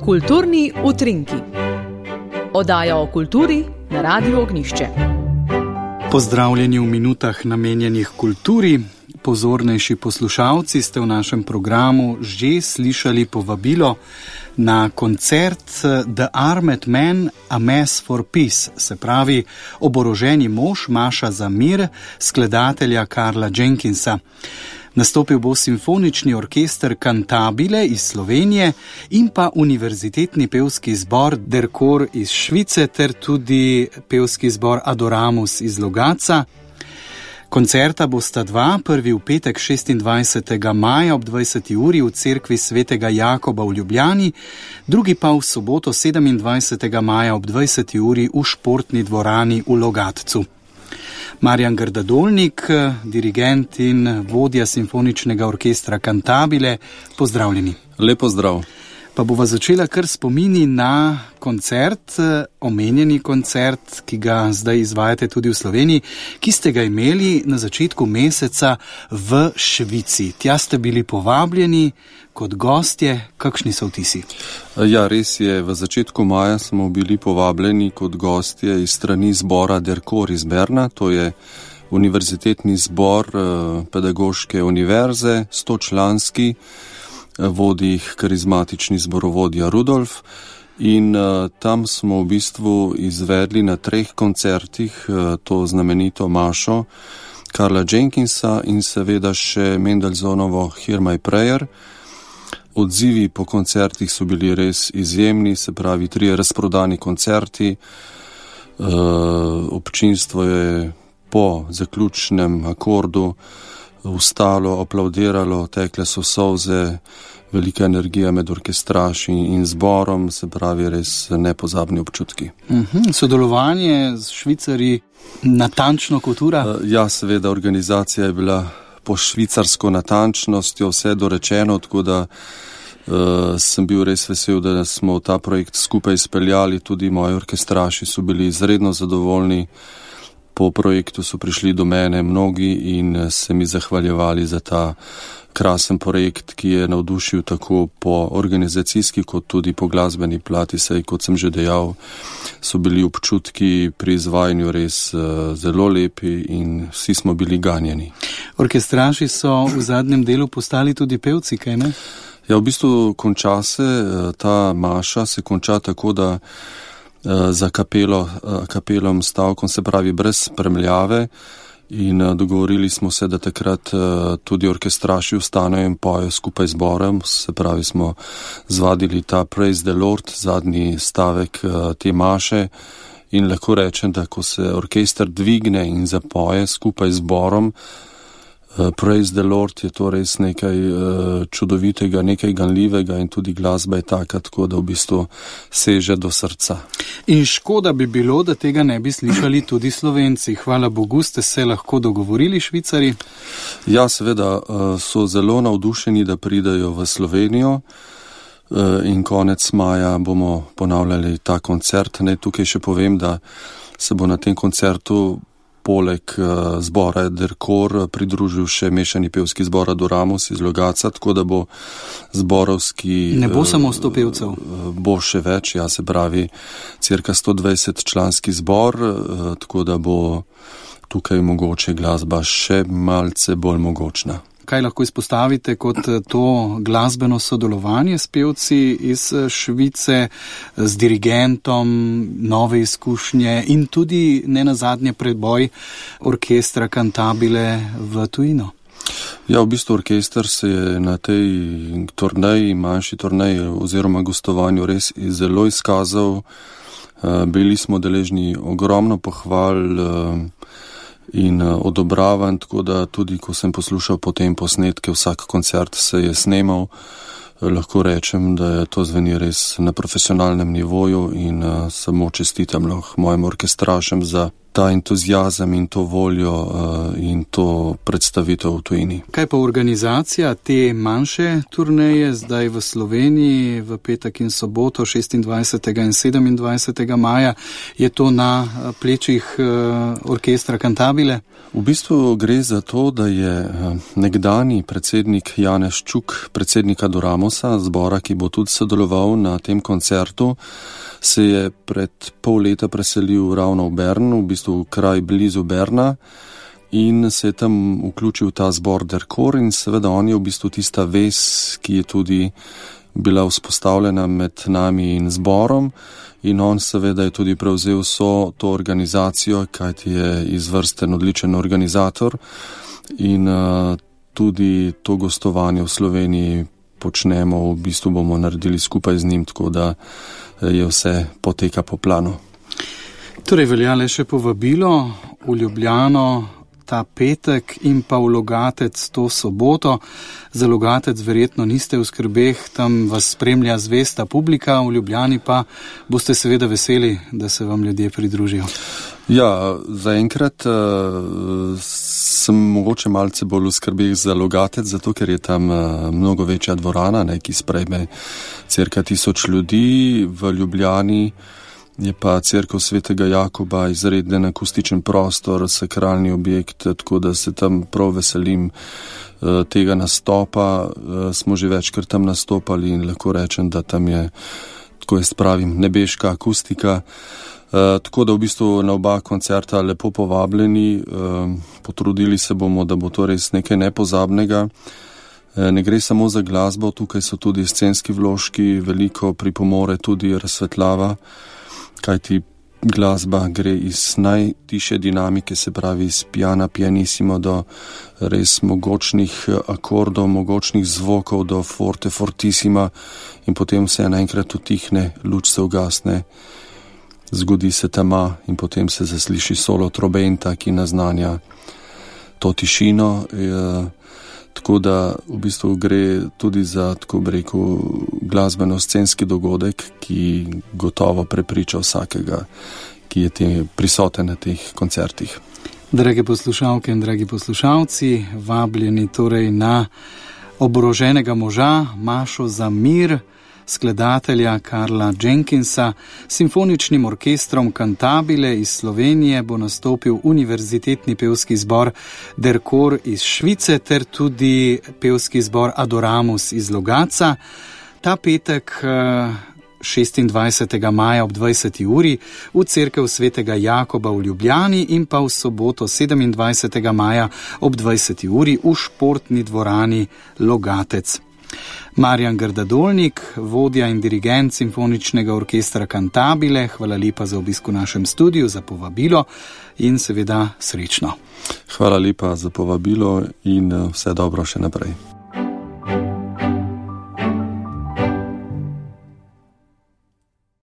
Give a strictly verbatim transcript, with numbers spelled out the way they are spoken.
Kulturni utrinki. Oddaja o kulturi na Radiu Ognjišče. Pozdravljeni v minutah namenjenih kulturi. Pozornejši poslušalci ste v našem programu že slišali povabilo na koncert The Armed Man, A Mass for Peace, se pravi oboroženi mož, maša za mir, skladatelja Carla Jenkinsa. Nastopil bo simfonični orkester Cantabile iz Slovenije in pa univerzitetni pevski zbor Der Chor iz Švice ter tudi pevski zbor Adoramus iz Logatca. Koncerta bosta dva, prvi v petek šestindvajsetega maja ob dvajseti uri v cerkvi svetega Jakoba v Ljubljani, drugi pa v soboto sedemindvajsetega maja ob dvajseti uri v športni dvorani v Logatcu. Marjan Grdadolnik, dirigent in vodja simfoničnega orkestra Cantabile, pozdravljeni. Lep pozdrav. Pa bova začela kar spomini na koncert, omenjeni koncert, ki ga zdaj izvajate tudi v Sloveniji, ki ste ga imeli na začetku meseca v Švici. Tja ste bili povabljeni kot gostje. Kakšni so vtisi? Ja, res je. V začetku maja smo bili povabljeni kot gostje iz strani zbora Der Chor iz Berna. To je univerzitetni zbor pedagoške univerze, stočlanski, vodi jih karizmatični zborovodja Rudolf. In uh, tam smo v bistvu izvedli na treh koncertih uh, to znamenito mašo Carla Jenkinsa in seveda še Mendelsohnovo Hear My Prayer. Odzivi po koncertih so bili res izjemni, se pravi trije razprodani koncerti. Uh, občinstvo je po zaključnem akordu vstalo, aplaudiralo, tekle so solze, velika energija med orkestraši in zborom, se pravi res nepozabni občutki. Uh-huh. Sodelovanje z Švicarji natančno kot ura? Uh, ja, seveda, organizacija je bila po švicarsko natančnostjo vse dorečeno, tako da uh, sem bil res vesel, da smo ta projekt skupaj izpeljali, tudi moji orkestraši so bili izredno zadovoljni. Po projektu so prišli do mene mnogi in se mi zahvaljevali za ta krasen projekt, ki je navdušil tako po organizacijski kot tudi po glasbeni plati, saj kot sem že dejal, so bili občutki pri izvajanju res uh, zelo lepi in vsi smo bili ganjeni. Orkestraši so v zadnjem delu postali tudi pevci, kaj ne? Ja, v bistvu konča se, ta maša se konča tako, da za kapelo, kapelom stavkom, se pravi brez spremljave, in dogovorili smo se, da takrat tudi orkestraši vstanejo in pojejo skupaj z zborom, se pravi smo zvadili ta Praise the Lord, zadnji stavek te maše, in lahko rečem, da ko se orkester dvigne in zapoje skupaj z zborom, Praise the Lord, je to res nekaj uh, čudovitega, nekaj ganljivega in tudi glasba je taka, tako da v bistvu seže do srca. In škoda bi bilo, da tega ne bi slišali tudi Slovenci. Hvala Bogu, ste se lahko dogovorili Švicari? Ja, seveda uh, so zelo navdušeni, da pridajo v Slovenijo uh, in konec maja bomo ponavljali ta koncert. Ne, tukaj še povem, da se bo na tem koncertu poleg uh, zbora Der Chor pridružil še mešani pevski zbor Adoramus iz Logatca, tako da bo zborovski... Ne bo uh, samo sto pevcev? Uh, bo še več, ja, se pravi cirka sto dvajset članski zbor, uh, tako da bo tukaj mogoče glasba še malce bolj mogočna. Kaj lahko izpostavite kot to glasbeno sodelovanje s pevci iz Švice, z dirigentom, nove izkušnje in tudi ne nazadnje preboj orkestra Cantabile v tujino? Ja, v bistvu orkester se je na tej turneji, manjši turneji oziroma gostovanju res zelo izkazal. Bili smo deležni ogromno pohval in odobravan, tako da tudi ko sem poslušal potem posnetke, vsak koncert se je snemal, lahko rečem, da je to zveni res na profesionalnem nivoju in uh, samo čestitam lahko mojim orkestrašem za ta entuzijazem in to voljo in to predstavitev v tujini. Kaj pa organizacija te manjše turneje zdaj v Sloveniji v petek in soboto šestindvajsetega in sedemindvajsetega maja? Je to na plečih orkestra Cantabile? V bistvu gre za to, da je nekdani predsednik Janez Čuk, predsednik Adoramusa, zbora, ki bo tudi sodeloval na tem koncertu, se je pred pol leta preselil ravno v Bern, v bistvu kraj blizu Berna, in se je tam vključil ta zbor Derkor in seveda on je v bistvu tista vez, ki je tudi bila vzpostavljena med nami in zborom, in on seveda je tudi prevzel vso to organizacijo, kajti je izvrsten odličen organizator in uh, tudi to gostovanje v Sloveniji počnemo, v bistvu bomo naredili skupaj z njim, tako da je vse poteka po planu. Torej velja le še povabilo v Ljubljano ta petek in pa v Logatec to soboto. Za Logatec verjetno niste v skrbeh, tam vas spremlja zvesta publika, v Ljubljani pa boste seveda veseli, da se vam ljudje pridružijo. Ja, zaenkrat uh, sem mogoče malce bolj v skrbeh za Logatec, zato ker je tam uh, mnogo večja dvorana, ne, ki sprejme cirka tisoč ljudi. V Ljubljani je pa cerkev Svetega Jakoba izreden akustičen prostor, sakralni objekt, tako da se tam prav veselim uh, tega nastopa. Uh, smo že večkrat tam nastopali in lahko rečem, da tam je, tako jaz pravim, nebeška akustika. Uh, tako da v bistvu na oba koncerta lepo povabljeni, uh, potrudili se bomo, da bo to res nekaj nepozabnega. Uh, ne gre samo za glasbo, tukaj so tudi scenski vložki, veliko pripomore tudi razsvetljava, kajti glasba gre iz najtiše dinamike, se pravi iz piana pianissimo do res mogočnih akordov, mogočnih zvokov do forte fortissima in potem se naenkrat utihne, luč se ugasne. Zgodi se tema in potem se zasliši solo trobenta, ki naznanja to tišino. E, tako da v bistvu gre tudi za, tako bi rekel, glasbeno-scenski dogodek, ki gotovo prepriča vsakega, ki je te, prisoten na teh koncertih. Drage poslušalke in dragi poslušalci, vabljeni torej na oboroženega moža Mašo za mir, skladatelja Karla Jenkinsa. Simfoničnim orkestrom Cantabile iz Slovenije bo nastopil univerzitetni pevski zbor Derkor iz Švice ter tudi pevski zbor Adoramus iz Logatca. Ta petek šestindvajsetega maja ob dvajseti uri v cerkev Svetega Jakoba v Ljubljani in pa v soboto sedemindvajsetega maja ob dvajseti uri v športni dvorani Logatec. Marjan Grdadolnik, vodja in dirigent Simfoničnega orkestra Cantabile, hvala lepa za obisk v našem studiu, za povabilo in seveda srečno. Hvala lepa za povabilo in vse dobro še naprej.